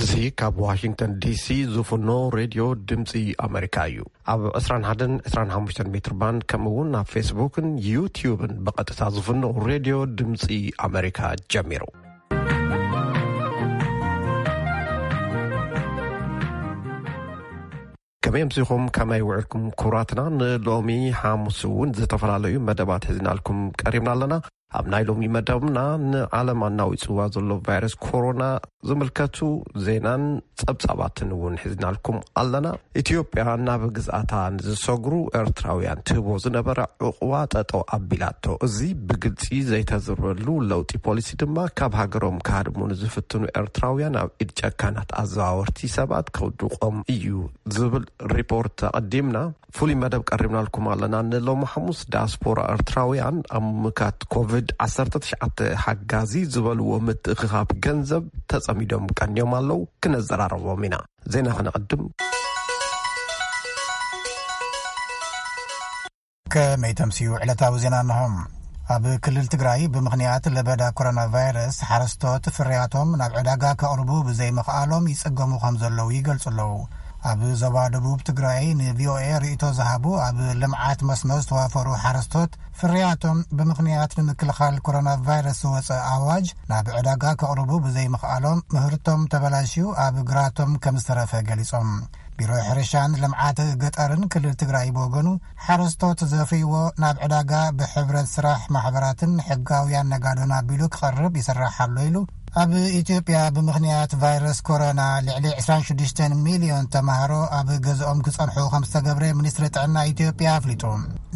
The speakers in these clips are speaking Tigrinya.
እዚ ካብ ዋሽንግተን ዲሲ ዝፍኖ ሬድዮ ድምፂ ኣሜሪካ እዩ። ኣብ ዕስራን ሓደን ዕስራን ሓሙሽተን ሜትር ባንድ፣ ከምኡ እውን ኣብ ፌስቡክን ዩቲዩብን ብቐጥታ ዝፍኖ ሬድዮ ድምፂ ኣሜሪካ ጀሚሩ። ከመይ ኣምሲኹም? ከመይ ውዕልኩም? ክቡራትና፣ ንሎሚ ሓሙስ እውን ዝተፈላለዩ መደባት ሒዝናልኩም ቀሪብና ኣለና። ኣብ ናይ ሎሚ መደብና፣ ንዓለም ኣናዊጽዋ ዘሎ ቫይረስ ኮሮና ዝምልከቱ ዜናን ጸብጻባትን እውን ሒዝናልኩም ኣለና። ኢትዮጵያ ናብ ግዝኣታ ንዝሰግሩ ኤርትራውያን ትህቦ ዝነበረ ዕቑባ ጠጠው ኣቢላቶ። እዚ ብግልጺ ዘይተዘርበሉ ለውጢ ፖሊሲ ድማ፣ ካብ ሃገሮም ክሃድሙ ንዝፍትኑ ኤርትራውያን ኣብ ኢድ ጨካናት ኣዘዋወርቲ ሰባት ከውድቖም እዩ ዝብል ሪፖርት ኣቐዲምና። ፍሉይ መደብ ቀሪብናልኩም ኣለና። ንሎሚ ሓሙስ፣ ዳያስፖራ ኤርትራውያን ኣብ ምካት ኮቪድ ዓሰርተ ትሽዓተ ሓጋዚ ዝበልዎ ምትእኽኻብ ገንዘብ ተጸሚዶም ቀንዮም ኣለዉ። ክነዘራረቦም ኢና። ዜና ክነቐድም። ከመይ ተምስዩ ዕለታዊ ዜና እንሆ። ኣብ ክልል ትግራይ ብምኽንያት ለበዳ ኮሮና ቫይረስ፣ ሓረስቶት ፍርያቶም ናብ ዕዳጋ ከቕርቡ ብዘይምኽኣሎም ይጽገሙ ከም ዘለዉ ይገልጹ ኣለዉ። ኣብ ዞባ ደቡብ ትግራይ ንቪኦኤ ርእይቶ ዝሃቡ ኣብ ልምዓት መስኖ ዝተዋፈሩ ሓረስቶት፣ ፍርያቶም ብምኽንያት ንምክልኻል ኮሮና ቫይረስ ዝወጸ ኣዋጅ ናብ ዕዳጋ ከቕርቡ ብዘይምኽኣሎም፣ ምህርቶም ተበላሽዩ ኣብ ግራቶም ከም ዝተረፈ ገሊጾም። ቢሮ ሕርሻን ልምዓት ገጠርን ክልል ትግራይ ብወገኑ፣ ሓረስቶት ዘፍርይዎ ናብ ዕዳጋ ብሕብረት ስራሕ ማሕበራትን ሕጋውያን ነጋዶን ኣቢሉ ክቐርብ ይስራሕ ኣሎ ኢሉ። ኣብ ኢትዮጵያ ብምኽንያት ቫይረስ ኮሮና ልዕሊ ዕስራን ሽዱሽተን ሚልዮን ተማሃሮ ኣብ ገዝኦም ክጸንሑ ከም ዝተገብረ ሚኒስትሪ ጥዕና ኢትዮጵያ ኣፍሊጡ።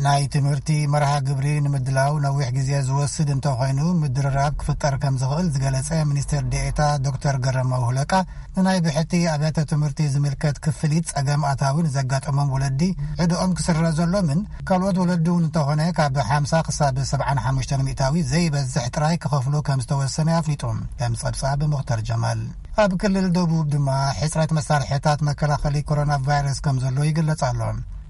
ናይ ትምህርቲ መርሃ ግብሪ ንምድላው ነዊሕ ግዜ ዝወስድ እንተኾይኑ፣ ምድርራብ ክፍጠር ከም ዝኽእል ዝገለጸ ሚኒስትር ዴኤታ ዶክተር ገረመው ሁለቃ፣ ንናይ ብሕቲ ኣብያተ ትምህርቲ ዝምልከት ክፍሊት ጸገም ኣታዊ ንዘጋጠሞም ወለዲ ዕድኦም ክስረዘሎምን፣ ካልኦት ወለዲ እውን እንተኾነ ካብ ሓምሳ ክሳብ ሰብዓን ሓሙሽተን ሚእታዊ ዘይበዝሕ ጥራይ ክኸፍሉ ከም ዝተወሰነ ኣፍሊጡ። ከም ጸብጻብ ሙኽተር ጀማል። ኣብ ክልል ደቡብ ድማ ሕጽረት መሳርሕታት መከላኸሊ ኮሮና ቫይረስ ከም ዘሎ ይግለጽ ኣሎ።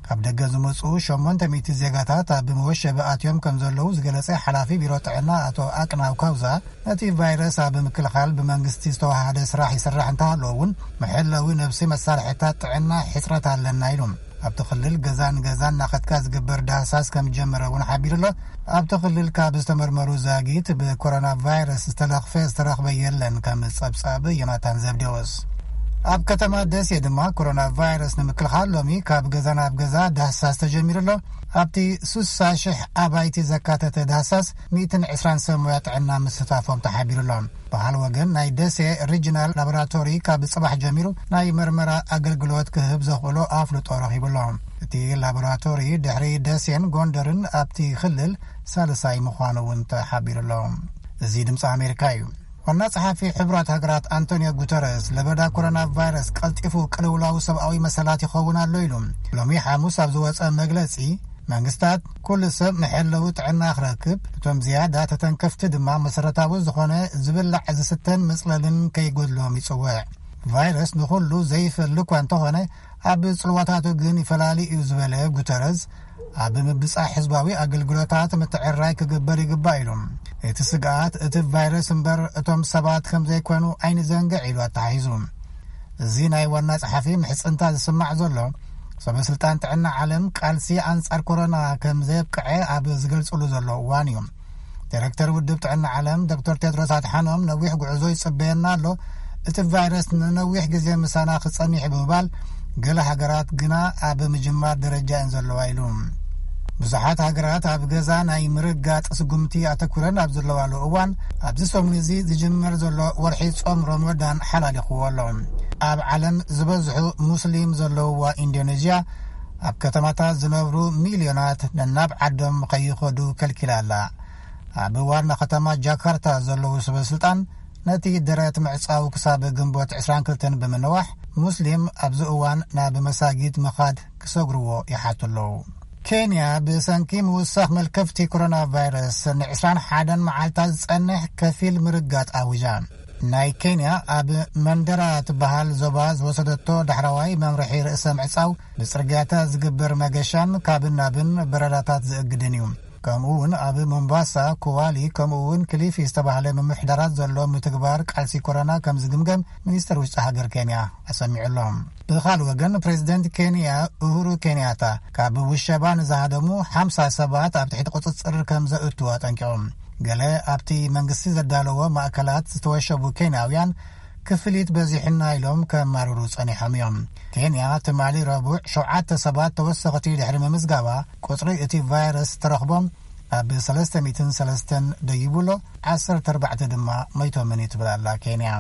ካብ ደገ ዝመጹ ሸሞንተ ሚእቲ ዜጋታት ኣብ መወሸቢ ኣትዮም ከም ዘለዉ ዝገለጸ ሓላፊ ቢሮ ጥዕና ኣቶ ኣቅናው ካውዛ፣ ነቲ ቫይረስ ኣብ ምክልኻል ብመንግስቲ ዝተዋሃደ ስራሕ ይስራሕ እንተሃለዎ እውን፣ መሐለዊ ነብሲ መሳርሕታት ጥዕና ሕጽረት ኣለና ኢሉ። ኣብቲ ክልል ገዛ ንገዛ እናኸድካ ዝግበር ዳህሳስ ከም ዝጀመረ እውን ሓቢሩ ኣሎ። ኣብቲ ክልል ካብ ዝተመርመሩ ዛጊት ብኮሮና ቫይረስ ዝተለኽፈ ዝተረኽበ የለን፣ ከም ጸብጻብ ዮናታን ዘብዴዎስ። ኣብ ከተማ ደሴ ድማ ኮሮና ቫይረስ ንምክልኻል ሎሚ ካብ ገዛ ናብ ገዛ ዳህሳስ ተጀሚሩ ኣሎ። ኣብቲ ስሳ ሽሕ ኣባይቲ ዘካተተ ዳህሳስ ሚእትን ዕስራን ሰብ ሞያ ጥዕና ምስታፎም ተሓቢሩ ኣሎ። በዓል ወገን ናይ ደሴ ሪጅናል ላቦራቶሪ ካብ ጽባሕ ጀሚሩ ናይ መርመራ ኣገልግሎት ክህብ ዘኽእሎ ኣፍልጦ ረኺቡ ኣሎ። እቲ ላቦራቶሪ ድሕሪ ደሴን ጎንደርን ኣብቲ ክልል ሳልሳይ ምዃኑ እውን ተሓቢሩ ኣሎ። እዚ ድምፂ ኣሜሪካ እዩ። ዋና ጸሓፊ ሕቡራት ሃገራት ኣንቶኒዮ ጉተረስ፣ ለበዳ ኮሮና ቫይረስ ቀልጢፉ ቅልውላው ሰብኣዊ መሰላት ይኸውን ኣሎ ኢሉ። ሎሚ ሓሙስ ኣብ ዝወጸ መግለጺ፣ መንግስታት ኩሉ ሰብ መሐለዊ ጥዕና ክረክብ፣ እቶም ዝያዳ ተተንከፍቲ ድማ መሰረታዊ ዝኾነ ዝብላዕ ዝስተን መጽለልን ከይጎድሎም ይጽውዕ። ቫይረስ ንኹሉ ዘይፈሊ እኳ እንተኾነ፣ ኣብ ጽልዋታቱ ግን ይፈላሊ እዩ ዝበለ ጉተረዝ፣ ኣብ ምብጻሕ ህዝባዊ ኣገልግሎታት ምትዕርራይ ክግበር ይግባእ ኢሉ። እቲ ስግኣት እቲ ቫይረስ እምበር እቶም ሰባት ከም ዘይኮኑ ኣይንዘንግዕ ኢሉ ኣተሓሒዙ። እዚ ናይ ዋና ጸሓፊ ምሕጽንታ ዝስማዕ ዘሎ፣ ሰበ ስልጣን ጥዕና ዓለም ቃልሲ ኣንጻር ኮሮና ከም ዘየብቅዐ ኣብ ዝገልጽሉ ዘሎ እዋን እዩ። ዳይረክተር ውድብ ጥዕና ዓለም ዶክተር ቴድሮስ ኣድሓኖም፣ ነዊሕ ጉዕዞ ይጽበየና ኣሎ፣ እቲ ቫይረስ ንነዊሕ ግዜ ምሳና ክጸኒሕ ብምባል፣ ገለ ሃገራት ግና ኣብ ምጅማር ደረጃ እየን ዘለዋ ኢሉ። ብዙሓት ሃገራት ኣብ ገዛ ናይ ምርጋጥ ስጉምቲ ኣተኩረን ኣብ ዘለዋሉ እዋን፣ ኣብዚ ሰሙን እዚ ዝጅመር ዘሎ ወርሒ ጾም ረመዳን ሓላሊኽዎ ኣሎ። ኣብ ዓለም ዝበዝሑ ሙስሊም ዘለውዋ ኢንዶኔዥያ፣ ኣብ ከተማታት ዝነብሩ ሚልዮናት ነናብ ዓዶም ከይኸዱ ከልኪላ ኣላ። ኣብ ዋና ከተማ ጃካርታ ዘለዉ ሰበ ስልጣን፣ ነቲ ደረት ምዕጻው ክሳብ ግንቦት ዕስራን ክልተን ብምንዋሕ፣ ሙስሊም ኣብዚ እዋን ናብ መሳጊድ ምኻድ ክሰግርዎ ይሓቱ ኣለዉ። ኬንያ ብሰንኪ ምውሳኽ መልከፍቲ ኮሮና ቫይረስ ንዕስራን ሓደን መዓልታት ዝጸንሕ ከፊል ምርጋጥ ኣዊጃ። ናይ ኬንያ ኣብ መንደራ ትበሃል ዞባ ዝወሰደቶ ዳሕረዋይ መምርሒ ርእሰ ምዕጻው፣ ብጽርግያታት ዝግበር መገሻን ካብን ናብን በረራታት ዝእግድን እዩ። ከምኡ እውን ኣብ ሞምባሳ፣ ኩዋሊ፣ ከምኡ እውን ክሊፊ ዝተባህለ ምምሕዳራት ዘሎ ምትግባር ቃልሲ ኮሮና ከም ዝግምገም ሚኒስተር ውሽጢ ሃገር ኬንያ ኣሰሚዑ ኣሎ። ብኻልእ ወገን፣ ፕሬዚደንት ኬንያ ኡሁሩ ኬንያታ ካብ ውሸባ ንዝሃደሙ ሓምሳ ሰባት ኣብ ትሕቲ ቁጽጽር ከም ዘእቱ ኣጠንቂቖም። ገለ ኣብቲ መንግስቲ ዘዳለዎ ማእከላት ዝተወሸቡ ኬንያውያን ክፍሊት በዚሕና ኢሎም ከማርሩ ጸኒሖም እዮም። ኬንያ ትማሊ ረቡዕ ሸውዓተ ሰባት ተወሰኽቲ ድሕሪ ምምዝጋባ፣ ቁጽሪ እቲ ቫይረስ ተረኽቦም ኣብ ሰለስተ ሚእትን ሰለስተን ደይቡ ኣሎ። ዓሰርተ ኣርባዕተ ድማ መይቶምን እዩ ትብል ኣላ ኬንያ።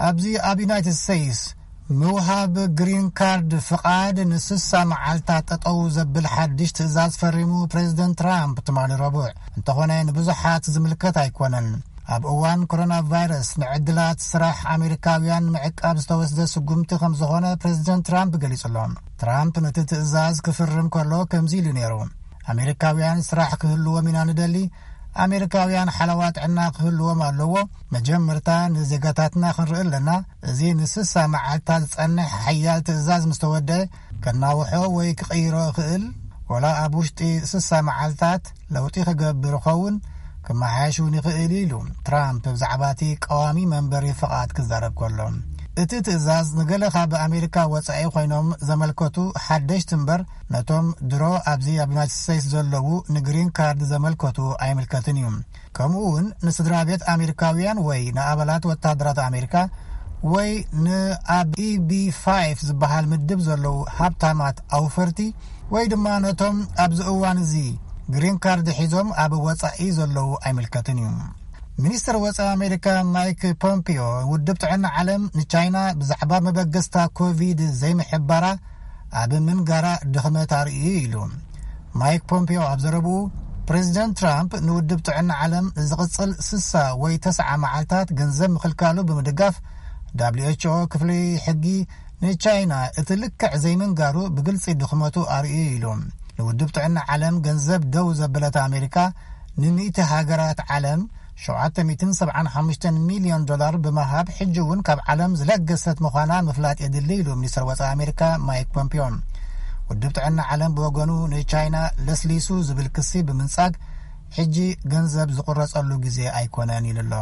ኣብዚ ኣብ ዩናይትድ ስቴትስ ምውሃብ ግሪን ካርድ ፍቓድ ንስሳ መዓልታት ጠጠው ዘብል ሓድሽ ትእዛዝ ፈሪሙ ፕሬዚደንት ትራምፕ ትማሊ ረቡዕ። እንተኾነ ንብዙሓት ዝምልከት ኣይኮነን። ኣብ እዋን ኮሮና ቫይረስ ንዕድላት ስራሕ ኣሜሪካውያን ምዕቃብ ዝተወስደ ስጉምቲ ከም ዝኾነ ፕሬዚደንት ትራምፕ ገሊጹ ኣሎ። ትራምፕ ነቲ ትእዛዝ ክፍርም ከሎ ከምዚ ኢሉ ነይሩ። ኣሜሪካውያን ስራሕ ክህልዎም ኢና ንደሊ። ኣሜሪካውያን ሓለዋ ጥዕና ክህልዎም ኣለዎ። መጀመርታ ንዜጋታትና ክንርኢ ኣለና። እዚ ንስሳ መዓልታት ዝጸንሕ ሓያል ትእዛዝ ምስ ተወደአ፣ ከናውሖ ወይ ክቕይሮ ይኽእል። ወላ ኣብ ውሽጢ ስሳ መዓልታት ለውጢ ክገብር ይኸውን፣ ክመሓየሽ እውን ይኽእል ኢሉ ትራምፕ ብዛዕባ እቲ ቀዋሚ መንበሪ ፍቓድ ክዛረብ ከሎ። እቲ ትእዛዝ ንገለ ካብ ኣሜሪካ ወጻኢ ኮይኖም ዘመልከቱ ሓደሽቲ እምበር፣ ነቶም ድሮ ኣብዚ ኣብ ዩናይትድ ስቴትስ ዘለዉ ንግሪን ካርድ ዘመልከቱ ኣይምልከትን እዩ። ከምኡ እውን ንስድራ ቤት ኣሜሪካውያን ወይ ንኣባላት ወታደራት ኣሜሪካ ወይ ንኣብ ኢቢ ፋይቭ ዝበሃል ምድብ ዘለዉ ሃብታማት ኣውፈርቲ ወይ ድማ ነቶም ኣብዚ እዋን እዚ ግሪን ካርድ ሒዞም ኣብ ወጻኢ ዘለዉ ኣይምልከትን እዩ። ሚኒስትር ወጻኢ ኣሜሪካ ማይክ ፖምፒዮ፣ ውድብ ጥዕና ዓለም ንቻይና ብዛዕባ መበገስታ ኮቪድ ዘይምሕባራ ኣብ ምንጋራ ድኽመት ኣርእዩ ኢሉ። ማይክ ፖምፒዮ ኣብ ዘረብኡ፣ ፕሬዚደንት ትራምፕ ንውድብ ጥዕና ዓለም ዝቕጽል ስሳ ወይ ተስዓ መዓልታት ገንዘብ ምኽልካሉ ብምድጋፍ፣ ደብሊው ኤች ኦ ክፍሊ ሕጊ ንቻይና እቲ ልክዕ ዘይምንጋሩ ብግልጺ ድኽመቱ ኣርእዩ ኢሉ። ንውድብ ጥዕና ዓለም ገንዘብ ደው ዘበለት ኣሜሪካ፣ ንሚእቲ ሃገራት ዓለም ሸውዓተ ሚእትን ሰብዓን ሓሙሽተን ሚልዮን ዶላር ብምሃብ፣ ሕጂ እውን ካብ ዓለም ዝለገሰት ምዃና ምፍላጥ የድሊ ኢሉ ሚኒስትር ወጻኢ ኣሜሪካ ማይክ ፖምፒዮ። ውድብ ጥዕና ዓለም ብወገኑ፣ ንቻይና ለስሊሱ ዝብል ክሲ ብምንጻግ፣ ሕጂ ገንዘብ ዝቑረጸሉ ግዜ ኣይኮነን ኢሉ ኣሎ።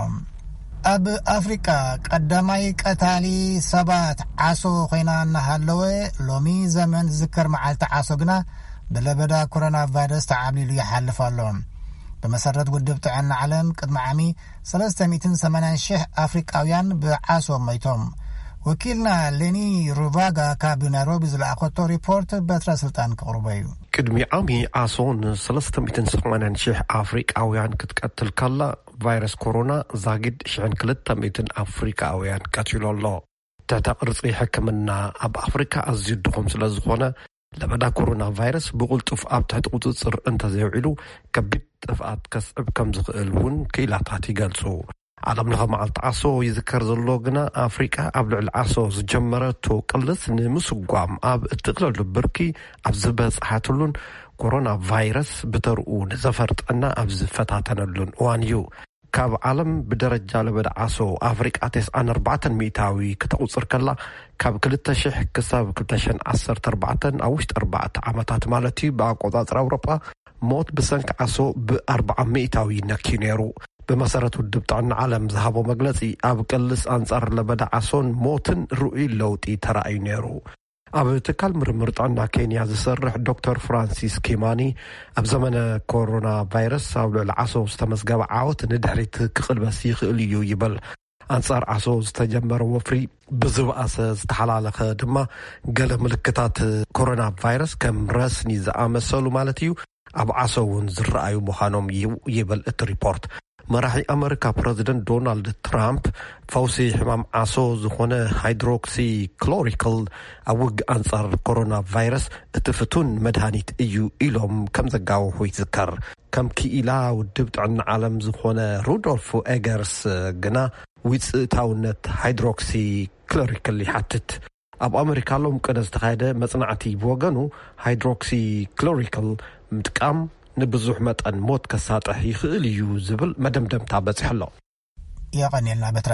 ኣብ ኣፍሪቃ ቀዳማይ ቀታሊ ሰባት ዓሶ ኮይና እናሃለወ፣ ሎሚ ዘመን ዝዝከር መዓልቲ ዓሶ ግና ብለበዳ ኮሮና ቫይረስ ተዓብሊሉ ይሓልፍ ኣሎ። ብመሰረት ውድብ ጥዕና ዓለም፣ ቅድሚ ዓሚ ሰለስተ ሚእትን ሰማንያን ሽሕ ኣፍሪቃውያን ብዓሶ ሞይቶም። ወኪልና ሌኒ ሩቫጋ ካብ ናይሮቢ ዝለኣኸቶ ሪፖርት በትረ ስልጣን ክቕርቦ እዩ። ቅድሚ ዓሚ ዓሶ ን ሰለስተ ሚእትን ሰማንያን ሽሕ ኣፍሪቃውያን ክትቀትል ከላ፣ ቫይረስ ኮሮና ዛጊድ ሽሕን ክልተ ሚእትን ኣፍሪቃውያን ቀቲሉ ኣሎ። ትሕተ ቅርጺ ሕክምና ኣብ ኣፍሪካ ኣዝዩ ድኹም ስለ ዝኾነ፣ ለበዳ ኮሮና ቫይረስ ብቕልጡፍ ኣብ ትሕቲ ቁጽጽር እንተዘይውዒሉ፣ ከቢድ ጥፍኣት ከስዕብ ከም ዝኽእል እውን ክኢላታት ይገልጹ። ዓለም ለኸ መዓልቲ ዓሶ ይዝከር ዘሎ ግና፣ ኣፍሪቃ ኣብ ልዕሊ ዓሶ ዝጀመረቶ ቅልስ ንምስጓም ኣብ እትእለሉ ብርኪ ኣብ ዝበጽሓትሉን፣ ኮሮና ቫይረስ ብተርኡ ንዘፈር ጥዕና ኣብ ዝፈታተነሉን እዋን እዩ። ካብ ዓለም ብደረጃ ለበዳ ዓሶ ኣፍሪቃ ተስዓን ኣርባዕተን ሚእታዊ ከተቑጽር ከላ፣ ካብ ክልተ ሽሕ ክሳብ ክልተ ሽሕን ዓሰርተ ኣርባዕተን፣ ኣብ ውሽጢ ኣርባዕተ ዓመታት ማለት እዩ፣ ብኣቆጻጽራ ኣውሮጳ ሞት ብሰንኪ ዓሶ ብኣርብዓ ሚእታዊ ነክዩ ነይሩ። ብመሰረት ውድብ ጥዕና ዓለም ዝሃቦ መግለጺ፣ ኣብ ቅልስ ኣንጻር ለበዳ ዓሶን ሞትን ርኡይ ለውጢ ተራእዩ ነይሩ። ኣብ ትካል ምርምር ጥዕና ኬንያ ዝሰርሕ ዶክተር ፍራንሲስ ኪማኒ፣ ኣብ ዘመነ ኮሮና ቫይረስ ኣብ ልዕሊ ዓሶ ዝተመዝገበ ዓወት ንድሕሪት ክቕልበስ ይኽእል እዩ ይብል። ኣንጻር ዓሶ ዝተጀመረ ወፍሪ ብዝበኣሰ ዝተሓላለኸ ድማ፣ ገለ ምልክታት ኮሮና ቫይረስ ከም ረስኒ ዝኣመሰሉ ማለት እዩ፣ ኣብ ዓሶ እውን ዝረኣዩ ምዃኖም እዩ ይብል እቲ ሪፖርት። መራሒ ኣመሪካ ፕረዚደንት ዶናልድ ትራምፕ፣ ፈውሲ ሕማም ዓሶ ዝኾነ ሃይድሮክሲክሎሪክል ኣብ ውግእ ኣንጻር ኮሮና ቫይረስ እቲ ፍቱን መድሃኒት እዩ ኢሎም ከም ዘጋወሑ ይዝከር። ከም ክኢላ ውድብ ጥዕና ዓለም ዝኾነ ሩዶልፍ ኤገርስ ግና፣ ውጽእታውነት ሃይድሮክሲክሎሪክል ይሓትት። ኣብ ኣመሪካ ሎም ቅነ ዝተኻየደ መጽናዕቲ ብወገኑ፣ ሃይድሮክሲክሎሪክል ምጥቃም ንብዙሕ መጠን ሞት ከሳጥሕ ይኽእል እዩ ዝብል መደምደምታ በጺሑ ኣሎ። የቐንየልና በትረ።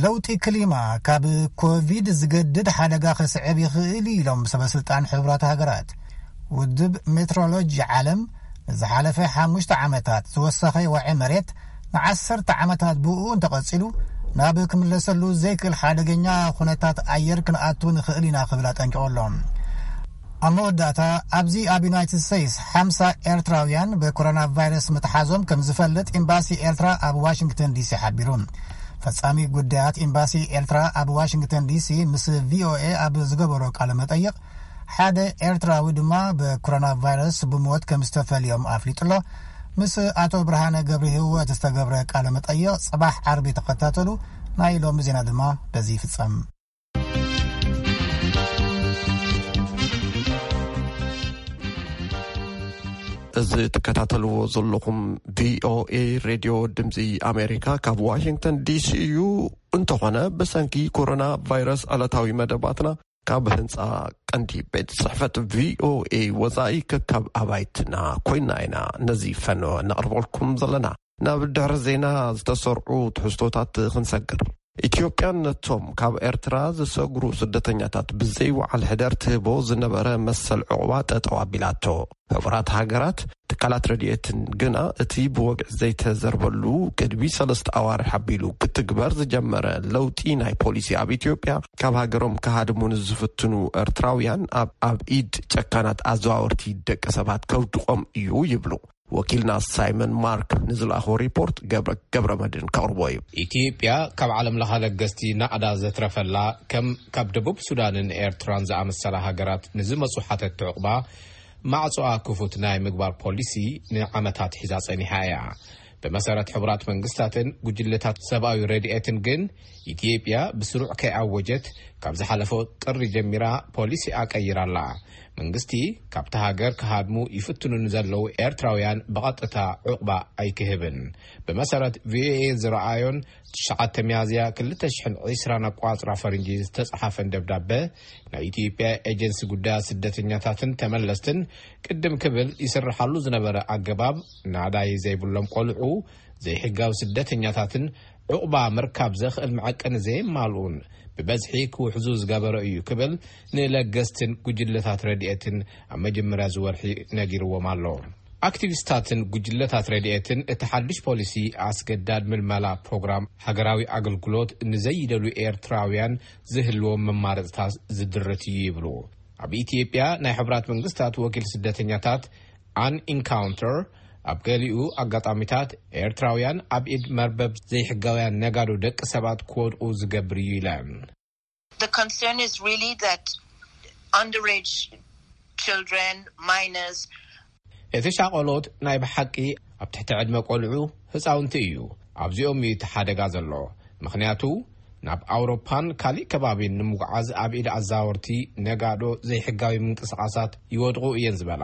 ለውጢ ክሊማ ካብ ኮቪድ ዝገድድ ሓደጋ ከስዕብ ይኽእል እዩ ኢሎም ሰበ ስልጣን ሕቡራት ሃገራት። ውድብ ሜትሮሎጂ ዓለም ዝሓለፈ ሓሙሽተ ዓመታት ዝወሰኸ ወዐ መሬት ንዓሰርተ ዓመታት ብኡ እንተቐጺሉ ናብ ክምለሰሉ ዘይክእል ሓደገኛ ኩነታት ኣየር ክንኣቱ ንኽእል ኢና ክብል ኣጠንቂቑ ኣሎ። ኣብ መወዳእታ ኣብዚ ኣብ ዩናይትድ ስቴትስ ሓምሳ ኤርትራውያን ብኮሮና ቫይረስ ምትሓዞም ከም ዝፈልጥ ኤምባሲ ኤርትራ ኣብ ዋሽንግተን ዲሲ ሓቢሩ። ፈጻሚ ጉዳያት ኤምባሲ ኤርትራ ኣብ ዋሽንግተን ዲሲ ምስ ቪኦኤ ኣብ ዝገበሮ ቃለ መጠይቕ ሓደ ኤርትራዊ ድማ ብኮሮና ቫይረስ ብሞት ከም ዝተፈልዮም ኣፍሊጡ ኣሎ። ምስ ኣቶ ብርሃነ ገብረ ህይወት ዝተገብረ ቃለ መጠይቕ ጽባሕ ዓርቢ ተኸታተሉ። ናይ ሎሚ ዜና ድማ በዚ ይፍጸም። እዚ ትከታተልዎ ዘለኹም ቪኦኤ ሬድዮ ድምፂ ኣሜሪካ ካብ ዋሽንግተን ዲሲ እዩ። እንተኾነ ብሰንኪ ኮሮና ቫይረስ ዕለታዊ መደባትና ካብ ህንፃ ቀንዲ ቤት ጽሕፈት ቪኦኤ ወፃኢ ከካብ ኣባይትና ኮይና ኢና ነዚ ፈነወ ነቕርበልኩም ዘለና። ናብ ድሕሪ ዜና ዝተሰርዑ ትሕዝቶታት ክንሰግር። ኢትዮጵያን ነቶም ካብ ኤርትራ ዝሰግሩ ስደተኛታት ብዘይወዓል ሕደር ትህቦ ዝነበረ መሰል ዕቑባ ጠጠው ኣቢላቶ። ሕቡራት ሃገራት ትካላት ረድኤትን ግና እቲ ብወግዒ ዘይተዘርበሉ ቅድሚ ሰለስተ ኣዋርሕ ኣቢሉ ክትግበር ዝጀመረ ለውጢ ናይ ፖሊሲ ኣብ ኢትዮጵያ ካብ ሃገሮም ክሃድሙ ንዝፍትኑ ኤርትራውያን ኣብ ኣብ ኢድ ጨካናት ኣዘዋወርቲ ደቂ ሰባት ከውድቖም እዩ ይብሉ። ወኪልና ሳይመን ማርክ ንዝለኣኾ ሪፖርት ገብረ ገብረ መድን ከቕርቦ እዩ። ኢትዮጵያ ካብ ዓለም ለኸ ለገስቲ ናዕዳ ዘትረፈላ ከም ካብ ደቡብ ሱዳንን ኤርትራን ዝኣመሰላ ሃገራት ንዝመፁ ሓተት ዕቑባ ማዕጾኣ ክፉት ናይ ምግባር ፖሊሲ ንዓመታት ሒዛ ጸኒሓ እያ። ብመሰረት ሕቡራት መንግስታትን ጉጅለታት ሰብኣዊ ረድኤትን ግን ኢትዮጵያ ብስሩዕ ከይኣወጀት ካብ ዝሓለፈ ጥሪ ጀሚራ ፖሊሲ ኣቀይራላ። መንግስቲ ካብቲ ሃገር ክሃድሙ ይፍትኑ ንዘለዉ ኤርትራውያን ብቐጥታ ዕቑባ ኣይክህብን። ብመሰረት ቪኦኤ ዝረኣዮን ትሽዓተ ሚያዝያ ክልተ ሽሕን ዕስራን ኣቋጽራ ፈርንጂ ዝተጻሓፈን ደብዳበ ናይ ኢትዮጵያ ኤጀንሲ ጉዳያት ስደተኛታትን ተመለስትን ቅድም ክብል ይስርሓሉ ዝነበረ ኣገባብ ናዳይ ዘይብሎም ቆልዑ ዘይሕጋዊ ስደተኛታትን ዕቑባ ምርካብ ዘኽእል መዐቀኒ ዘየማልኡን ብበዝሒ ክውሕዙ ዝገበረ እዩ ክብል ንለገስትን ጉጅለታት ረድኤትን ኣብ መጀመርያ ዝወርሒ ነጊርዎም ኣሎ። ኣክቲቪስታትን ጉጅለታት ረድኤትን እቲ ሓድሽ ፖሊሲ ኣስገዳድ ምልመላ ፕሮግራም ሃገራዊ ኣገልግሎት ንዘይደልዩ ኤርትራውያን ዝህልዎም መማረፅታት ዝድርት እዩ ይብሉ። ኣብ ኢትዮጵያ ናይ ሕቡራት መንግስታት ወኪል ስደተኛታት ኣን ኢንካውንተር ኣብ ገሊኡ ኣጋጣሚታት ኤርትራውያን ኣብ ኢድ መርበብ ዘይሕጋውያን ነጋዶ ደቂ ሰባት ክወድቁ ዝገብር እዩ ኢለን። The concern is really that underage children, minors, እቲ ሻቆሎት ናይ ብሓቂ ኣብ ትሕቲ ዕድመ ቆልዑ ህፃውንቲ እዩ። ኣብዚኦም እዩ እቲ ሓደጋ ዘሎ። ምኽንያቱ ናብ ኣውሮፓን ካሊእ ከባቢን ንምጉዓዝ ኣብ ኢድ ኣዛወርቲ ነጋዶ ዘይሕጋዊ ምንቅስቃሳት ይወድቑ እየን ዝበላ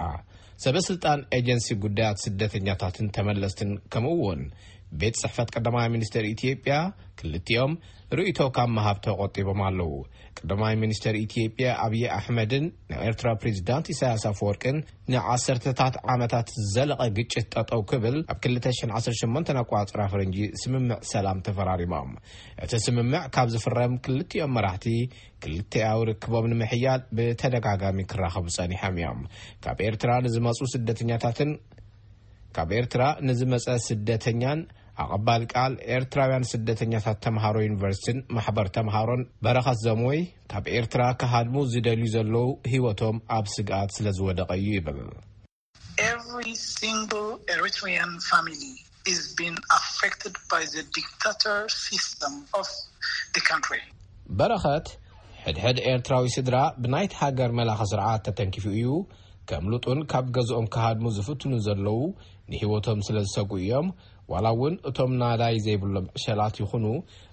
ሰበ ስልጣን ኤጀንሲ ጉዳያት ስደተኛታትን ተመለስትን ከምኡ እውን ቤት ጽሕፈት ቀዳማይ ሚኒስትር ኢትዮጵያ ክልቲኦም ርእይቶ ካብ መሃብ ተቆጢቦም ኣለዉ። ቀዳማይ ሚኒስትር ኢትዮጵያ ኣብይ ኣሕመድን ናይ ኤርትራ ፕሬዚዳንት ኢሳያስ ኣፈወርቅን ንዓሰርተታት ዓመታት ዝዘለቐ ግጭት ጠጠው ክብል ኣብ ክልተ ሽሕን ዓሰርተ ሸሞንተን ኣቋጽራ ፈረንጂ ስምምዕ ሰላም ተፈራሪሞም። እቲ ስምምዕ ካብ ዝፍረም ክልቲኦም መራሕቲ ክልቲኣዊ ርክቦም ንምሕያል ብተደጋጋሚ ክራኸቡ ጸኒሖም እዮም። ካብ ኤርትራ ንዝመጹ ስደተኛታትን ካብ ኤርትራ ንዝመጸ ስደተኛን ኣቐባል ቃል ኤርትራውያን ስደተኛታት ተምሃሮ ዩኒቨርሲቲን ማሕበር ተምሃሮን በረኸት ዘምወይ ካብ ኤርትራ ክሃድሙ ዝደልዩ ዘለዉ ህይወቶም ኣብ ስግኣት ስለ ዝወደቐ እዩ ይብል። Every single Eritrean family is being affected by the dictator system of the country. በረኸት ሕድሕድ ኤርትራዊ ስድራ ብናይቲ ሃገር መላኸ ስርዓት ተተንኪፉ እዩ። ከምልጡን ካብ ገዝኦም ክሃድሙ ዝፍትኑ ዘለዉ ንህይወቶም ስለ ዝሰጉ እዮም። ዋላ እውን እቶም ናዳይ ዘይብሎም ዕሸላት ይኹኑ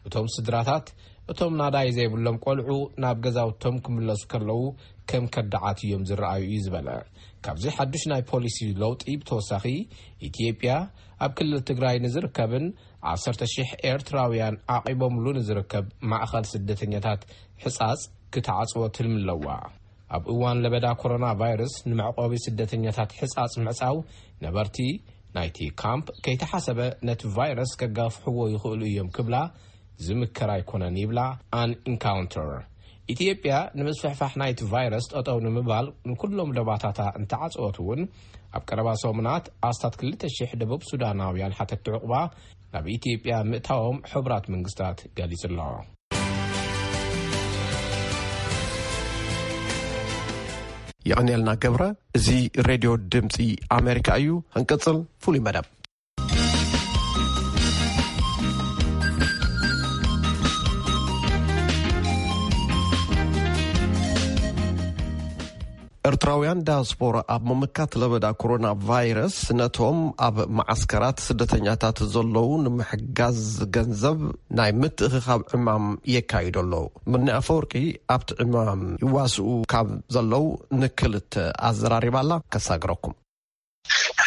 እቶም ስድራታት እቶም ናዳይ ዘይብሎም ቆልዑ ናብ ገዛውቶም ክምለሱ ከለዉ ከም ከዳዓት እዮም ዝረኣዩ እዩ ዝበለ። ካብዚ ሓዱሽ ናይ ፖሊሲ ለውጢ ብተወሳኺ ኢትዮጵያ ኣብ ክልል ትግራይ ንዝርከብን ዓሰርተ ሽሕ ኤርትራውያን ዓቒቦምሉ ንዝርከብ ማእኸል ስደተኛታት ሕጻጽ ክትዓጽዎ ትልሚ ኣለዋ። ኣብ እዋን ለበዳ ኮሮና ቫይረስ ንመዕቆቢ ስደተኛታት ሕጻጽ ምዕጻው ነበርቲ ናይቲ ካምፕ ከይተሓሰበ ነቲ ቫይረስ ከጋፍሕዎ ይኽእሉ እዮም ክብላ ዝምከር ኣይኮነን ይብላ ኣን ኢንካውንተር። ኢትዮጵያ ንምስፍሕፋሕ ናይቲ ቫይረስ ጠጠው ንምባል ንኩሎም ደባታታ እንተዓጸወት እውን፣ ኣብ ቀረባ ሰሙናት ኣስታት ክልተ ሽሕ ደቡብ ሱዳናውያን ሓተትቲ ዕቑባ ናብ ኢትዮጵያ ምእታዎም ሕቡራት መንግስታት ገሊጹ ኣሎ። የቐንየልና ገብረ። እዚ ሬድዮ ድምፂ ኣሜሪካ እዩ። ክንቅፅል ፍሉይ መደብ። ኤርትራውያን ዳያስፖራ ኣብ ምምካት ለበዳ ኮሮና ቫይረስ ነቶም ኣብ መዓስከራት ስደተኛታት ዘለዉ ንምሕጋዝ ገንዘብ ናይ ምትእኽኻብ ዕማም የካይዱ ኣለዉ። ምኒ ኣፈወርቂ ኣብቲ ዕማም ይዋስኡ ካብ ዘለዉ ንክልተ ኣዘራሪባላ ከሳግረኩም።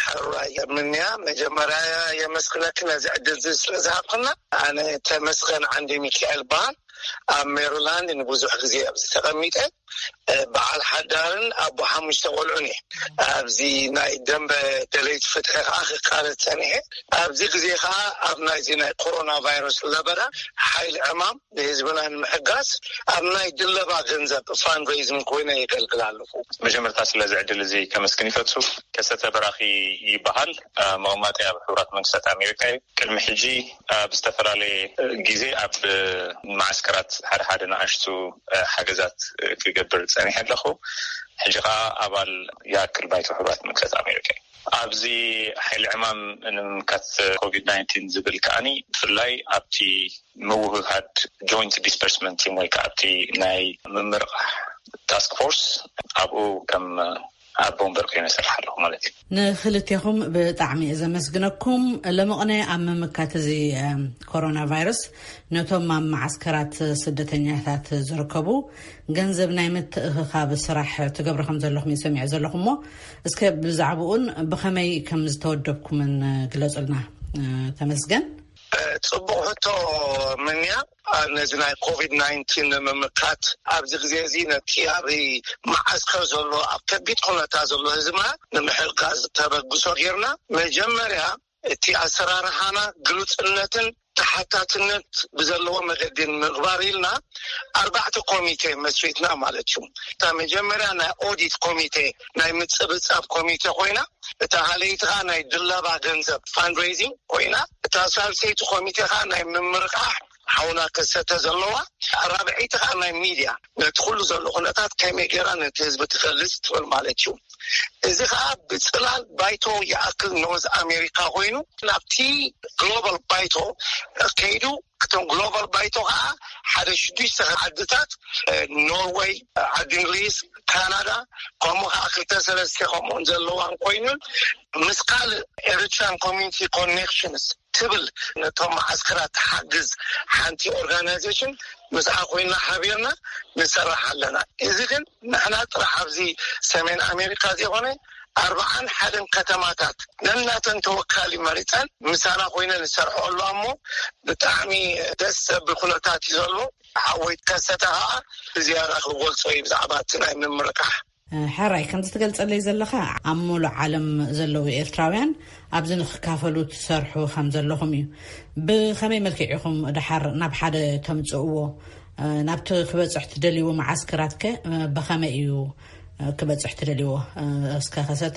ሕራይ ምንያ፣ መጀመርያ የመስግነኪ ነዚ ዕድል እዚ ስለ ዝሃብክና። ኣነ ተመስገን ዓንዲ ሚካኤል በሃል። ኣብ ሜሪላንድ ንብዙሕ ግዜ ኣብዚ ተቐሚጠ፣ እ፣ በዓል ሓዳርን ኣቦ ሓሙሽተ ቆልዑን እየ። ኣብዚ ናይ ደንበ ደለይቲ ፍትሒ ከዓ ክቃለስ ጸኒሐ። ኣብዚ ግዜ ከዓ ኣብ ናይዚ ናይ ኮሮና ቫይረስ ለበዳ ሓይሊ ዕማም ንህዝብና ንምሕጋዝ ኣብ ናይ ድለባ ገንዘብ ፋንድሬይዚንግ ኮይነ የገልግል ኣለኹ። መጀመርታ ስለዚ ዕድል እዚ ከመስግን ይፈቱ። ከሰተ በራኺ ይበሃል። እ፣ መቐማጠይ ኣብ ሕቡራት መንግስታት ኣሜሪካ እዩ። ቅድሚ ሕጂ ኣብ ዝተፈላለየ ግዜ ኣብ መዓስከራት ሓደ ሓደ ንኣሽቱ ሓገዛት ክገብር ጸኒሐ ኣለኹ። ሕጂ ኸኣ ኣባል ይኣክል ባይቶ ሕቡራት መንግስታት ኣሜሪካ እዩ። ኣብዚ ሓይሊ ዕማም ንምምካት ኮቪድ ናይንቲን ዝብል ከኣኒ ብፍላይ ኣብቲ ምውህሃድ ጆይንት ዲስፐርስመንት ቲም ወይ ከዓ ኣብቲ ናይ ምምርቓሕ ታስክ ፎርስ ኣብኡ ከም ኣቦ ወንበር ኮይነ እሰርሕ ኣለኹ ማለት እዩ። ንክልቴኹም ብጣዕሚ እየ ዘመስግነኩም። ሎሚ ቅነ ኣብ ምምካት እዚ፣ እም፣ ኮሮና ቫይረስ ነቶም ኣብ መዓስከራት ስደተኛታት ዝርከቡ ገንዘብ ናይ ምትእኽኻብ ስራሕ ትገብሩ ከም ዘለኹም እየ ሰሚዐ ዘለኹ እሞ፣ እስከ ብዛዕባኡን ብኸመይ ከም ዝተወደብኩምን ግለጹልና። እ፣ ተመስገን። እ፣ ጽቡቕ ሕቶ ምንያ። እ፣ ነዚ ናይ ኮቪድ ናይንቲን ንምምካት ኣብዚ ግዜ እዚ ነቲ ኣብ መዓስከር ዘሎ ኣብ ከቢድ ኩነታት ዘሎ ህዝብና ንምሕጋዝ ተበግሶ ጌርና። መጀመርያ እቲ ኣሰራርሓና ግሉጽነትን ተሓታትነት ብዘለዎ መገዲ ንምግባር ኢልና ኣርባዕተ ኮሚቴ መስሪትና ማለት እዩ። እታ መጀመርያ ናይ ኦዲት ኮሚቴ፣ ናይ ምጽብጻብ ኮሚቴ ኮይና፣ እታ ካልኣይቲ ኸኣ ናይ ድለባ ገንዘብ ፋንድሬዚንግ ኮይና፣ እታ ሳልሰይቲ ኮሚቴ ኸኣ ናይ ምምርቃሕ ሓውና ከሰተ ዘለዋ፣ ራብዐይቲ ኸኣ ናይ ሚድያ ነቲ ኩሉ ዘሎ ኩነታት ከመይ ጌራ ነቲ ህዝቢ ትገልጽ ትብል ማለት እዩ። እዚ ኸኣ ብጽላል ባይቶ ይኣክል ኖርዝ ኣሜሪካ ኮይኑ ናብቲ ግሎባል ባይቶ ከይዱ፣ እቶም ግሎባል ባይቶ ኸዓ ሓደ ሽዱሽተ ዓድታት፣ እ፣ ኖርወይ፣ ዓዲ እንግሊዝ፣ ካናዳ፣ ከምኡ ኸዓ ክልተ ሰለስተ ከምኡን ዘለዋን ኮይኑን ምስ ካልእ ኤሪትራን ኮሚኒቲ ኮኔክሽንስ ትብል ነቶም መዓስከራት ትሓግዝ ሓንቲ ኦርጋናይዜሽን ምስኣ ኮይና ሓቢርና ንሰርሕ ኣለና። እዚ ግን ንሕና ጥራሕ ኣብዚ ሰሜን ኣሜሪካ ዘይኮነ ኣርባዓን ሓደን ከተማታት ነናተን ተወካሊ መሪፀን ምሳና ኮይነ ንሰርሖ ኣሎ። እሞ ብጣዕሚ ደስ ዘብል ኩነታት እዩ ዘሎ። ሓወይ ከሰተ ከዓ ብዝያዳ ክገልጾ እዩ ብዛዕባ እቲ ናይ ምምርቃሕ። ሕራይ፣ ከምዚ ትገልጸለይ ዘለኻ ኣብ ሙሉእ ዓለም ዘለዉ ኤርትራውያን ኣብዚ ንክካፈሉ ትሰርሑ ከም ዘለኹም እዩ። ብኸመይ መልክዕ ኢኹም ድሓር ናብ ሓደ ተምጽእዎ? ናብቲ ክበጽሕ ትደልይዎ መዓስከራትከ ብኸመይ እዩ ክበጽሕ ትደልይዎ? እስከ ከሰተ።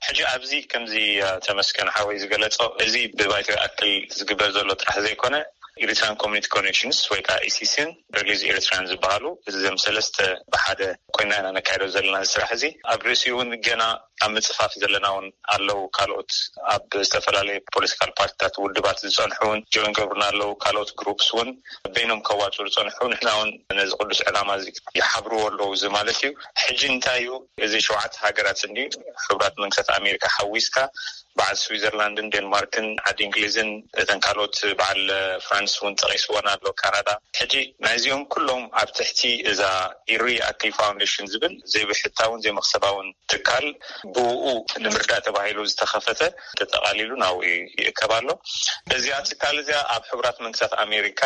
ሕጂ ኣብዚ ከምዚ፣ እ፣ ተመስገን ሓወይ ዝገለጾ፣ እዚ ብባይቶ ይኣክል ዝግበር ዘሎ ጥራሕ ዘይኮነ፣ ኤሪትራን ኮሚኒቲ ኮኔክሽንስ ወይ ከዓ ኢሲሲን ሪሊዝ ኤሪትራን ዝበሃሉ፣ እዞም ሰለስተ ብሓደ ኮይና ኢና ነካይዶ ዘለና እዚ ስራሕ እዚ። ኣብ ርእሲኡ እውን ገና ኣብ ምጽፋፍ ዘለና እውን ኣለዉ። ካልኦት ኣብ ዝተፈላለየ ፖለቲካል ፓርቲታት ውድባት ዝጸንሑ እውን ጆይን ገብሩና ኣለዉ። ካልኦት ግሩፕስ እውን በይኖም ከዋጽኡ ዝጸንሑ፣ ንሕና እውን ነዚ ቅዱስ ዕላማ እዚ ይሓብርዎ ኣለዉ። እዚ ማለት እዩ፣ ሕጂ እንታይ እዩ፣ እዚ ሸውዓተ ሃገራት እንዲ ሕቡራት መንግስታት ኣሜሪካ ሓዊስካ፣ በዓል ስዊዘርላንድን ዴንማርክን ዓዲ እንግሊዝን እተን ካልኦት በዓል ፍራንስ እውን ጠቒስወን ኣሎ፣ ካናዳ። ሕጂ ናይዚኦም ኩሎም ኣብ ትሕቲ እዛ ኢሪ ኣክል ፋውንዴሽን ዝብል ዘይብሕታውን ዘይመኽሰባውን ትካል ብኡ ንምርዳእ ተባሂሉ ዝተኸፈተ ተጠቓሊሉ ናብኡ ይእከብ ኣሎ። እዚኣ ትካል እዚኣ ኣብ ሕቡራት መንግስታት ኣሜሪካ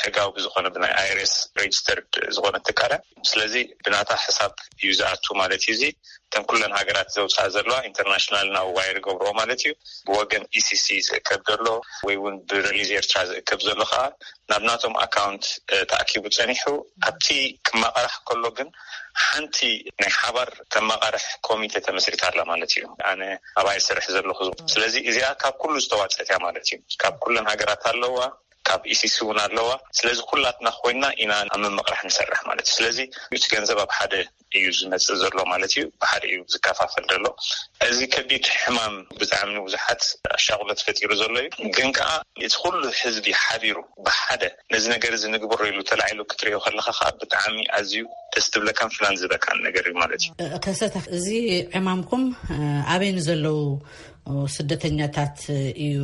ሕጋዊ ብዝኾነ ብናይ ኣይሬስ ሬጅስተርድ ዝኾነ ትካል እያ። ስለዚ ብናታ ሕሳብ እዩ ዝኣቱ ማለት እዩ። እዚ እተን ኩለን ሃገራት ዘውፅኣ ዘለዋ ኢንተርናሽናል ናብ ዋየር ገብርኦ ማለት እዩ። ብወገን ኢሲሲ ዝእከብ ዘሎ ወይ እውን ብረሊዝ ኤርትራ ዝእከብ ዘሎ ከዓ ናብ ናቶም ኣካውንት ተኣኪቡ ፀኒሑ ኣብቲ ክመቃራሕ ከሎ ግን ሓንቲ ናይ ሓባር ተመቃርሕ ኮሚቴ ተመስሪታ ኣላ ማለት እዩ። ኣነ ኣብኣ ይሰርሕ ዘለኹ። ስለዚ እዚኣ ካብ ኩሉ ዝተዋፀት እያ ማለት እዩ። ካብ ኩለን ሃገራት ኣለዋ፣ ካብ ኢሲሲ እውን ኣለዋ። ስለዚ ኩላትና ኮይና ኢና ኣብ ምምቕራሕ ንሰርሕ ማለት እዩ። ስለዚ እቲ ገንዘብ ኣብ ሓደ እዩ ዝመፅእ ዘሎ ማለት እዩ። ብሓደ እዩ ዝከፋፈል ዘሎ። እዚ ከቢድ ሕማም ብጣዕሚ ንብዙሓት ኣሻቕሎት ፈጢሩ ዘሎ እዩ። ግን ከዓ እቲ ኩሉ ህዝቢ ሓቢሩ ብሓደ ነዚ ነገር እዚ ንግበሮ ኢሉ ተላዒሉ ክትሪኦ ከለካ ከዓ ብጣዕሚ ኣዝዩ ደስ ትብለካን ፍናን ዝበካን ነገር እዩ ማለት እዩ። ከሰተ፣ እዚ ዕማምኩም ኣበይ ንዘለዉ ስደተኛታት እዩ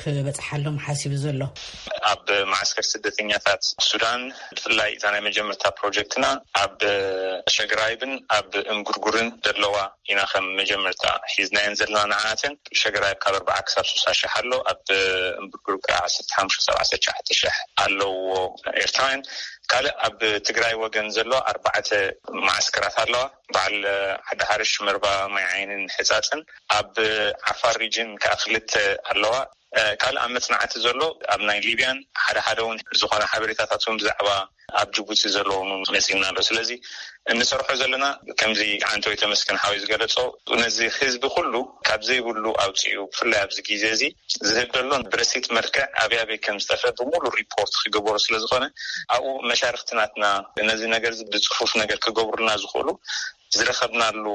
ክበፅሓሎም ሓሲቡ ዘሎ? ኣብ ማዓስከር ስደተኛታት ሱዳን ብፍላይ እዛ ናይ መጀመርታ ፕሮጀክትና ኣብ ሸግራይብን ኣብ እምጉርጉርን ዘለዋ ኢና ከም መጀመርታ ሒዝናየን ዘለና። ንዓተን ሸግራይብ ካብ ኣርባዓ ክሳብ ሱሳ ሽሕ ኣሎ፣ ኣብ እምጉርጉር ከዓ ዓሰርተ ሓሙሽተ ክሳብ ዓሰርተ ትሽዓተ ሽሕ ኣለዎ ኤርትራውያን። ካልእ ኣብ ትግራይ ወገን ዘሎ ኣርባዕተ ማዓስከራት ኣለዋ። በዓል ዓዲ ሓርሽ፣ መርባ፣ ማይ ዓይንን ሕፃፅን። ኣብ ዓፋር ሪጅን ከዓ ክልተ ኣለዋ። ካልእ ኣብ መፅናዕቲ ዘሎ ኣብ ናይ ሊብያን ሓደ ሓደ እውን ዝኾነ ሓበሬታታት እውን ብዛዕባ ኣብ ጅቡቲ ዘለውን እውን መፂና ኣሎ። ስለዚ እንሰርሖ ዘለና ከምዚ ዓንተው ተመስገን ሓወይ ዝገለፆ ነዚ ህዝቢ ኩሉ ካብ ዘይብሉ ኣውፅኡ ብፍላይ ኣብዚ ግዜ እዚ ዝህብ ዘሎ ብረሲት መልክዕ ኣበይ ኣበይ ከም ዝጠፈ ብሙሉ ሪፖርት ክግበሩ ስለዝኾነ ኣብኡ መሻርክቲ ናትና ነዚ ነገር እዚ ብፅፉፍ ነገር ክገብሩልና ዝኽእሉ ዝረኸብናሉ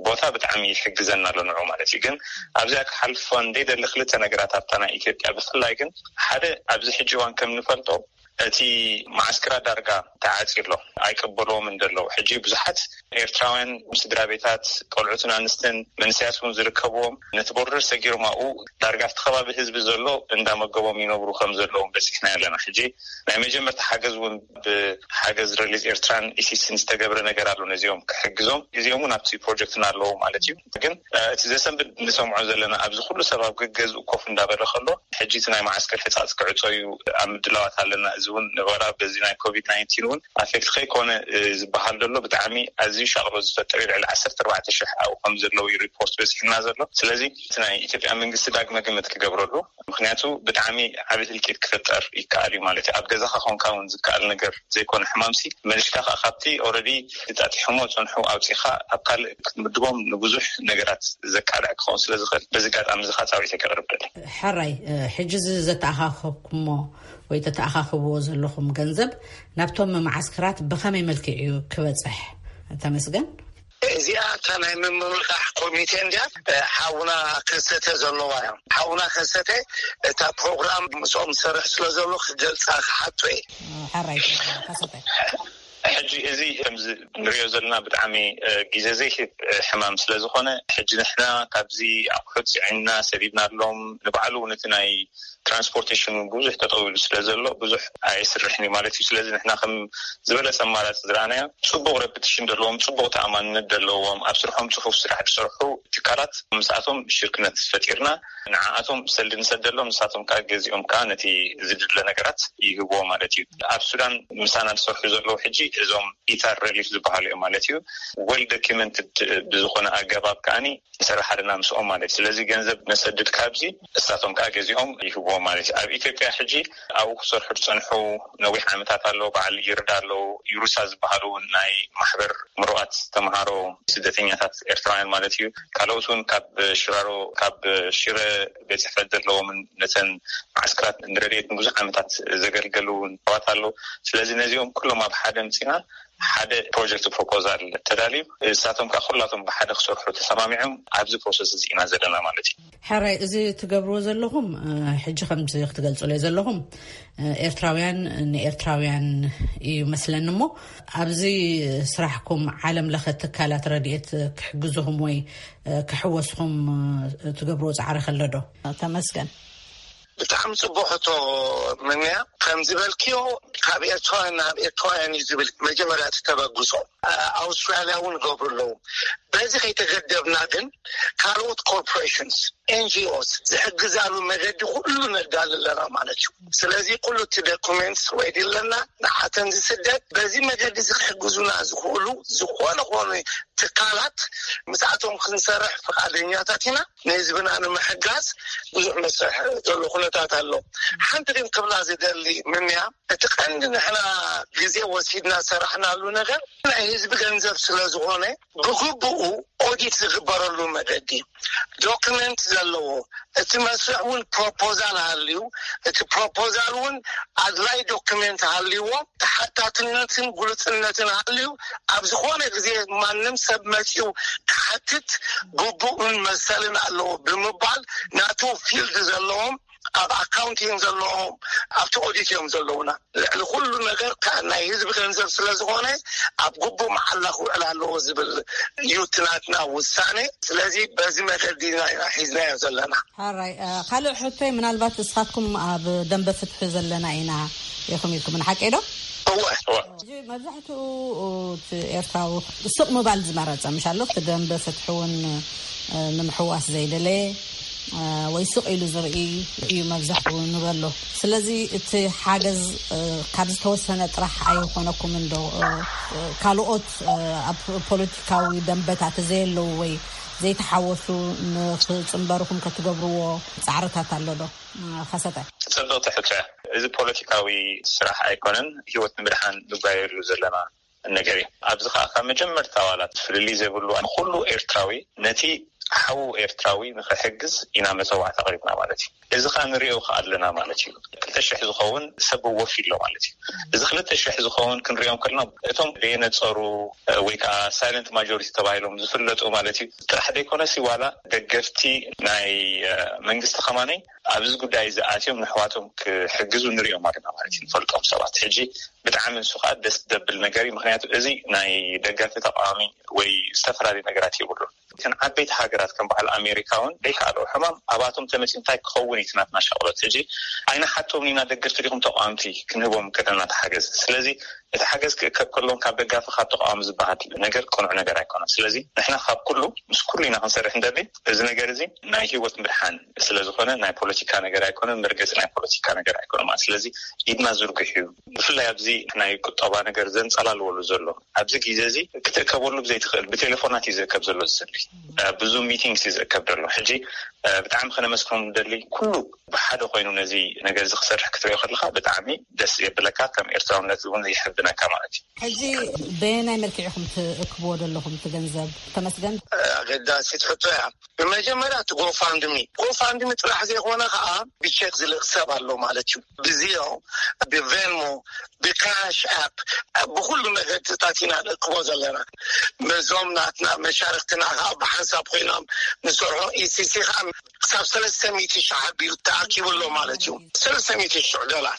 ቦታ ብጣዕሚ ይሕግዘና ኣሎ ንዑ ማለት እዩ። ግን ኣብዚኣ ክሓልፎ እንደይደሊ ክልተ ነገራት ኣብታ ናይ ኢትዮጵያ ብፍላይ ግን ሓደ ኣብዚ ሕጂ እዋን ከም ንፈልጦ እቲ ማዓስከራ ዳርጋ ተዓፂ ኣሎ ኣይቀበልዎም እንደለዉ ሕጂ ብዙሓት ኤርትራውያን ስድራ ቤታት ቆልዑትን ኣንስትን መንስያት እውን ዝርከብዎም ነቲ ቦርደር ሰጊሮም ኣብኡ ዳርጋ ኣብቲ ከባቢ ህዝቢ ዘሎ እንዳመገቦም ይነብሩ ከም ዘለዎም በፂሕና ኣለና። ሕጂ ናይ መጀመርታ ሓገዝ እውን ብሓገዝ ረሊዝ ኤርትራን ኢሲስን ዝተገብረ ነገር ኣሎ ነዚኦም ክሕግዞም። እዚኦም እውን ኣብቲ ፕሮጀክትና ኣለዉ ማለት እዩ። ግን እቲ ዘሰንብድ ንሰምዖ ዘለና ኣብዚ ኩሉ ሰብ ኣብ ገገዝኡ ኮፍ እንዳበለ ከሎ ሕጂ እቲ ናይ ማዓስከር ሕፃፅ ክዕፆ እዩ ኣብ ምድላዋት ኣለና። እዚ እውን ንበራ በዚ ናይ ኮቪድ ናይንቲን እውን ኣፌክት ከይኮነ ዝበሃል ዘሎ ብጣዕሚ ኣዝዩ ሻቕሎ ዝፈጥር እዩ። ልዕሊ ዓሰርተ ኣርባዕተ ሽሕ ኣብኡ ከም ዘለዉ እዩ ሪፖርት በፂሕና ዘሎ። ስለዚ እቲ ናይ ኢትዮጵያ መንግስቲ ዳግመ ግምት ክገብረሉ ምክንያቱ ብጣዕሚ ዓብይ ህልቂት ክፈጠር ይከኣል እዩ ማለት እዩ። ኣብ ገዛኻ ኮንካ እውን ዝከኣል ነገር ዘይኮነ ሕማምሲ መሊስካ ከዓ ካብቲ ኦረዲ ተጣጢሖሞ ዝፀንሑ ኣውፂኻ ኣብ ካልእ ክትምድቦም ንብዙሕ ነገራት ዘቃልዕ ክኸውን ስለዝኽእል በዚ ኣጋጣሚ እዚ ከዓ ፃውዒት ከቅርብ ደሊ። ሕራይ፣ ሕጂ እዚ ዘተኣኻኸብኩሞ ወይ ተተኣኻኽብዎ ዘለኹም ገንዘብ ናብቶም መዓስከራት ብኸመይ መልክዕ እዩ ክበፅሕ? ተመስገን። እዚኣ እታ ናይ ምምርቃሕ ኮሚቴ እንዲያ ሓውና ከሰተ ዘለዋ እዮም። ሓውና ከሰተ እታ ፕሮግራም ምስኦም ዝሰርሕ ስለ ዘሎ ክገልፃ ክሓቶ እየ። ሓራይ ከሰተ። ሕጂ እዚ ከምዚ ንሪኦ ዘለና ብጣዕሚ ግዜ ዘይህብ ሕማም ስለ ዝኾነ ሕጂ ንሕና ካብዚ ኣቑሑት ፅዒንና ሰዲድናሎም ንባዕሉ እውን እቲ ናይ ትራንስፖርቴሽን እውን ብዙሕ ጠጠው ኢሉ ስለ ዘሎ ብዙሕ ኣይስርሕን እዩ ማለት እዩ። ስለዚ ንሕና ከም ዝበለፀ ኣማራፂ ዝረኣናዮ ፅቡቕ ረፕቲሽን ዘለዎም፣ ፅቡቕ ተኣማንነት ዘለዎም፣ ኣብ ስርሖም ፅፉፍ ስራሕ ዝሰርሑ ትካላት ምስኣቶም ሽርክነት ፈጢርና ንዓኣቶም ሰልዲ ንሰደሎም፣ ንሳቶም ከዓ ገዚኦም ከዓ ነቲ ዝድለ ነገራት ይህብዎ ማለት እዩ። ኣብ ሱዳን ምሳና ዝሰርሑ ዘለዉ ሕጂ እዞም ኢታር ሬሊፍ ዝበሃሉ እዮም ማለት እዩ። ወል ዶኪመንትድ ብዝኾነ ኣገባብ ከዓኒ ንሰርሕ ኣለና ምስኦም ማለት እዩ። ስለዚ ገንዘብ ነሰድድ ካብዚ እሳቶም ከዓ ገዚኦም ይህብዎም ማለት እዩ። ኣብ ኢትዮጵያ ሕጂ ኣብኡ ክሰርሑ ዝፀንሑ ነዊሕ ዓመታት ኣለዉ። በዓል ይርዳ ኣለዉ፣ ይሩሳ ዝበሃሉ ናይ ማሕበር ምሩቓት ተምሃሮ ስደተኛታት ኤርትራውያን ማለት እዩ። ካልኦት እውን ካብ ሽራሮ ካብ ሽረ ቤት ፅሕፈት ዘለዎምን ነተን ማዓስከራት ንረድኤት ንብዙሕ ዓመታት ዘገልገሉ እውን ሰባት ኣለዉ። ስለዚ ነዚኦም ኩሎም ኣብ ሓደ ምፅና ሓደ ፕሮጀክት ፕሮፖዛል ተዳልዩ እሳቶም ከዓ ኩላቶም ብሓደ ክሰርሑ ተሰማሚዖም ኣብዚ ፕሮሰስ እዚ ኢና ዘለና ማለት እዩ። ሕራይ፣ እዚ ትገብርዎ ዘለኹም ሕጂ ከምዚ ክትገልፁለይ ዘለኹም ኤርትራውያን ንኤርትራውያን እዩ መስለኒ እሞ ኣብዚ ስራሕኩም ዓለም ለኸ ትካላት ረድኤት ክሕግዝኹም ወይ ክሕወስኹም ትገብርዎ ፃዕሪ ከሎ ዶ? ተመስገን። ብጣዕሚ ፅቡቅ ሕቶ ምንያ። ከም ዝበልክዮ ካብ ኤርትራውያን ናብ ኤርትራውያን እዩ ዝብል መጀመርያ እቲ ተበግሶ። ኣውስትራልያ እውን ገብሩ ኣለዉ። በዚ ከይተገደብና ግን ካልኦት ኮርፖሬሽንስ፣ ኤንጂኦስ ዝሕግዛሉ መገዲ ኩሉ ነዳሊ ኣለና ማለት እዩ። ስለዚ ኩሉ እቲ ዶኩሜንትስ ወይ ድለና ንዓተን ዝስደድ በዚ መገዲ እዚ ክሕግዙና ዝኽእሉ ዝኾነ ኾኑ ትካላት ምስኣቶም ክንሰርሕ ፍቓደኛታት ኢና። ንህዝብና ንምሕጋዝ ብዙሕ መስርሕ ዘሎ ኩነታት ኣሎ። ሓንቲ ግን ክብላ ዝደሊ ምንያ፣ እቲ ቀንዲ ንሕና ግዜ ወሲድና ሰራሕናሉ ነገር ናይ ህዝቢ ገንዘብ ስለ ዝኾነ፣ ብግቡኡ ኦዲት ዝግበረሉ መገዲ፣ ዶክመንት ዘለዎ፣ እቲ መስርሕ እውን ፕሮፖዛል ሃልዩ፣ እቲ ፕሮፖዛል እውን ኣድላይ ዶክመንት ሃልይዎ፣ ተሓታትነትን ግሉጽነትን ሃልዩ፣ ኣብ ዝኾነ ግዜ ማንም ሰብ መጺኡ ክሓትት ግቡእን መሰልን ኣለዎ ብምባል፣ ናቱ ፊልድ ዘለዎም፣ ኣብ ኣካውንቲንግ ዘለዎም፣ ኣብቲ ኦዲት እዮም ዘለውና። ልዕሊ ኩሉ ነገር ከ ናይ ህዝቢ ገንዘብ ስለ ዝኾነ፣ ኣብ ግቡእ መዓላ ክውዕል ኣለዎ ዝብል እዩ እቲ ናትና ውሳኔ። ስለዚ በዚ መገዲ ኢና ሒዝናዮ ዘለና። ሓራይ፣ እ፣ ካልእ ሕቶይ፣ ምናልባት እስኻትኩም ኣብ ደንበ ፍትሒ ዘለና ኢና ኢኹም ኢልኩም፣ ንሓቀይ ዶ? እወ። እወ። ሕጂ መብዛሕትኡ እቲ ኤርትራዊ ስቕ ምባል ዝመረጸ፣ ምሽ ኣሎ፣ እቲ ደንበ ፍትሒ እውን፣ እ፣ ንምሕዋስ ዘይደለየ፣ እ፣ ወይ ስቕ ኢሉ ዝርኢ እዩ መብዛሕትኡ ንበሎ። ስለዚ እቲ ሓገዝ፣ እ፣ ካብ ዝተወሰነ ጥራሕ ኣይኾነኩምን ዶ? እ፣ እ፣ ካልኦት፣ እ፣ ኣብ ፖለቲካዊ ደንበታት ዘየለዉ ወይ ዘይተሓወሱ ንኽጽንበርኹም ከትገብርዎ ጻዕርታት ኣሎ ዶ? እ፣ ከሰተ። ጽብቕቲ ሕቶ እያ። እዚ ፖለቲካዊ ስራሕ ኣይኮነን፣ ህይወት ንምድሓን ንጓየሉ ዘለና ነገር እዩ። ኣብዚ ኸዓ ካብ መጀመርታ ዋላ ፍልልይ ዘይብሉ ኩሉ ኤርትራዊ ነቲ ሓዉ ኤርትራዊ ንኽሕግዝ ኢና መጸዋዕታ ኣቕሪብና ማለት እዩ። እዚ ኸዓ ንሪኦ ኸዓ ኣለና ማለት እዩ። ክልተ ሽሕ ዝኸውን ሰብ ወፊ ኣሎ ማለት እዩ። እዚ ክልተ ሽሕ ዝኸውን ክንሪኦም ከለና እቶም ዘየነጸሩ ወይ ከዓ ሳይለንት ማጆሪቲ ተባሂሎም ዝፍለጡ ማለት እዩ ጥራሕ ዘይኮነሲ ዋላ ደገፍቲ ናይ መንግስቲ ከማነይ ኣብዚ ጉዳይ እዚ ኣትዮም ንሕዋቶም ክሕግዙ ንሪኦም ኣለና ማለት እዩ። ንፈልጦም ሰባት ሕጂ ብጣዕሚ ንሱ ከዓ ደስ ዘብል ነገር እዩ። ምክንያቱ እዚ ናይ ደጋፊ ተቃዋሚ ወይ ዝተፈላለዩ ነገራት የብሉን። እተን ዓበይቲ ሃገራት ከም በዓል ኣሜሪካ እውን ዘይከኣልኦ ሕማም ኣባቶም ተመፅኡ እንታይ ክኸውን እዩ እቲ ናትና ሻቕሎት? ሕጂ ኣይንሓቶም ኢና ደገፍቲ ዲኹም ተቃወምቲ ክንህቦም ከለና ተሓገዝ። ስለዚ እቲ ሓገዝ ክእከብ ከሎን ካብ ደጋፊ ካብ ተቃዋሚ ዝበሃል ነገር ቅኑዕ ነገር ኣይኮነን። ስለዚ ንሕና ካብ ኩሉ ምስ ኩሉ ኢና ክንሰርሕ እንደሊ። እዚ ነገር እዚ ናይ ህይወት ምድሓን ስለ ዝኾነ ናይ ፖለቲካ ነገር ኣይኮነን፣ መርገጺ ናይ ፖለቲካ ነገር ኣይኮነን ማለት። ስለዚ ኢድና ዝርግሕ እዩ። ብፍላይ ኣብዚ ናይ ቁጠባ ነገር ዘንጸላልወሉ ዘሎ ኣብዚ ግዜ እዚ ክትእከበሉ ብዘይትኽእል ብቴሌፎናት እዩ ዝእከብ ዘሎ ዝስሊ ብዙ ሚቲንግስ እዩ ዝእከብ ዘሎ። ሕጂ ብጣዕሚ ከነመስግኖም ንደሊ ኩሉ ብሓደ ኮይኑ ነዚ ነገር እዚ ክሰርሕ ክትሪኦ ከለካ ብጣዕሚ ደስ የብለካ፣ ከም ኤርትራውነት እውን ይሕብነካ ማለት እዩ። ሕጂ በየናይ መልክዕ ኢኹም ትእክብዎ ዘለኹም እቲ ገንዘብ? ተመስገን። ኣገዳሲት ሕቶ እያ። ብመጀመርያ እቲ ጎፋንድሚ፣ ጎፋንድሚ ጥራሕ ዘይኮነ ከዓ ብቼክ ዝልእክ ሰብ ኣሎ ማለት እዩ። ብዚዮ፣ ብቬንሞ፣ ብካሽ ኣፕ፣ ብኩሉ መገድታት ኢና ንእክቦ ዘለና። ነዞም ናትና መሻርክትና ከዓ ብሓንሳብ ኮይኖም ንሰርሖ ኢሲሲ ከዓ ክሳብ ሰለስተ ሚእቲ ሺሕ ኣቢሉ ተኣኪቡ ኣሎ ማለት እዩ። ሰለስተ ሚእቲ ሺሕ ዶላር።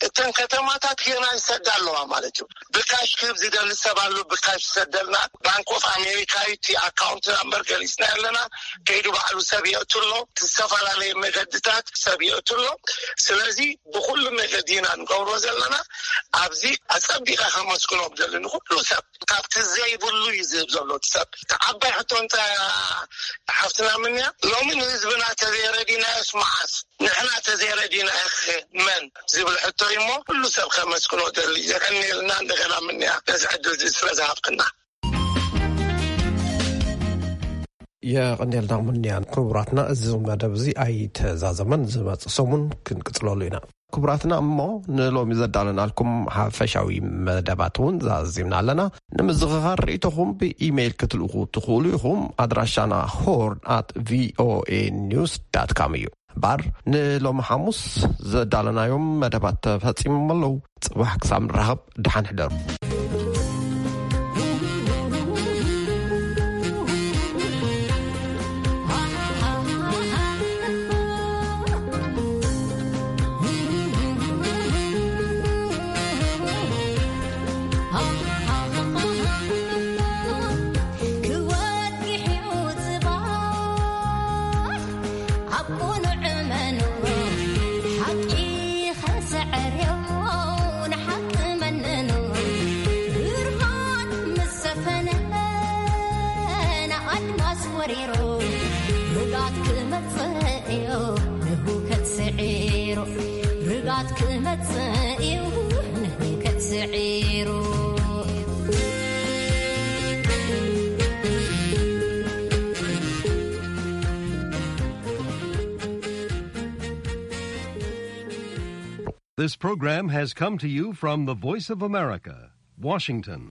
እተን ከተማታት ገና ይሰዳ ኣለዋ ማለት እዩ። ብካሽ ክህብ ዝደሊ ሰብ ኣሎ፣ ብካሽ ይሰደልና። ባንክ ኦፍ ኣሜሪካ እዩ እቲ ኣካውንት ናምበር ገሊጽና ኣለና። ከይዱ ባዕሉ ሰብ የእቱ ኣሎ። እቲ ዝተፈላለየ መገድታት ሰብ የእቱ ኣሎ። ስለዚ ብኩሉ መገዲ ኢና ንገብሮ ዘለና። ኣብዚ ኣጸቢቐ ከመስግኖ ብደሊ ንኩሉ ሰብ ካብቲ ዘይብሉ እዩ ዝህብ ዘሎ እቲ ሰብ። እቲ ዓባይ ሕቶ እንታይ እያ ሓፍትና ምንያ? ሎሚ ንህዝብና ተዘይረዲናዮስ መዓስ ንሕና ተዘይረዲናዮ መን ዝብል ሕቶ እዩ እሞ ኩሉ ሰብ ከመስግኖ ደሊ። የቀንየልና እንደገና ምንያ ነዚ ዕድል እዚ ስለ ዝሃብክና። የቐንየልና ምንያ። ክቡራትና፣ እዚ መደብ እዚ ኣይተዛዘመን። ዝመጽእ ሰሙን ክንቅጽለሉ ኢና። ክቡራትና፣ እሞ ንሎሚ ዘዳለናልኩም ሓፈሻዊ መደባት እውን ዛዚምና ኣለና። ንምዝኽኻር ርእይቶኹም ብኢሜይል ክትልእኹ ትኽእሉ ኢኹም። ኣድራሻና ሆርን ኣት ቪኦኤ ኒውስ ዳት ካም እዩ። እምበኣር ንሎሚ ሓሙስ ዘዳለናዮም መደባት ተፈጺሞም ኣለዉ። ጽባሕ ክሳብ ንራኸብ ደሓን ሕደሩ። ክወግሕ እዩ ጽባሕ ኣብ ቁኑዕ መኑ ሓቂ ኸሰዕርዮ ንሓቂ መንኑ ብርሃን ምስ ሰፈነ ንኣድማስ ወሪሩ ርጋት ክመጽእ እዩ ንህውከት ስዒሩ ርጋት ክመጽእ እዩ ንህውከት ስዒሩ This program has come to you from the Voice of America, Washington.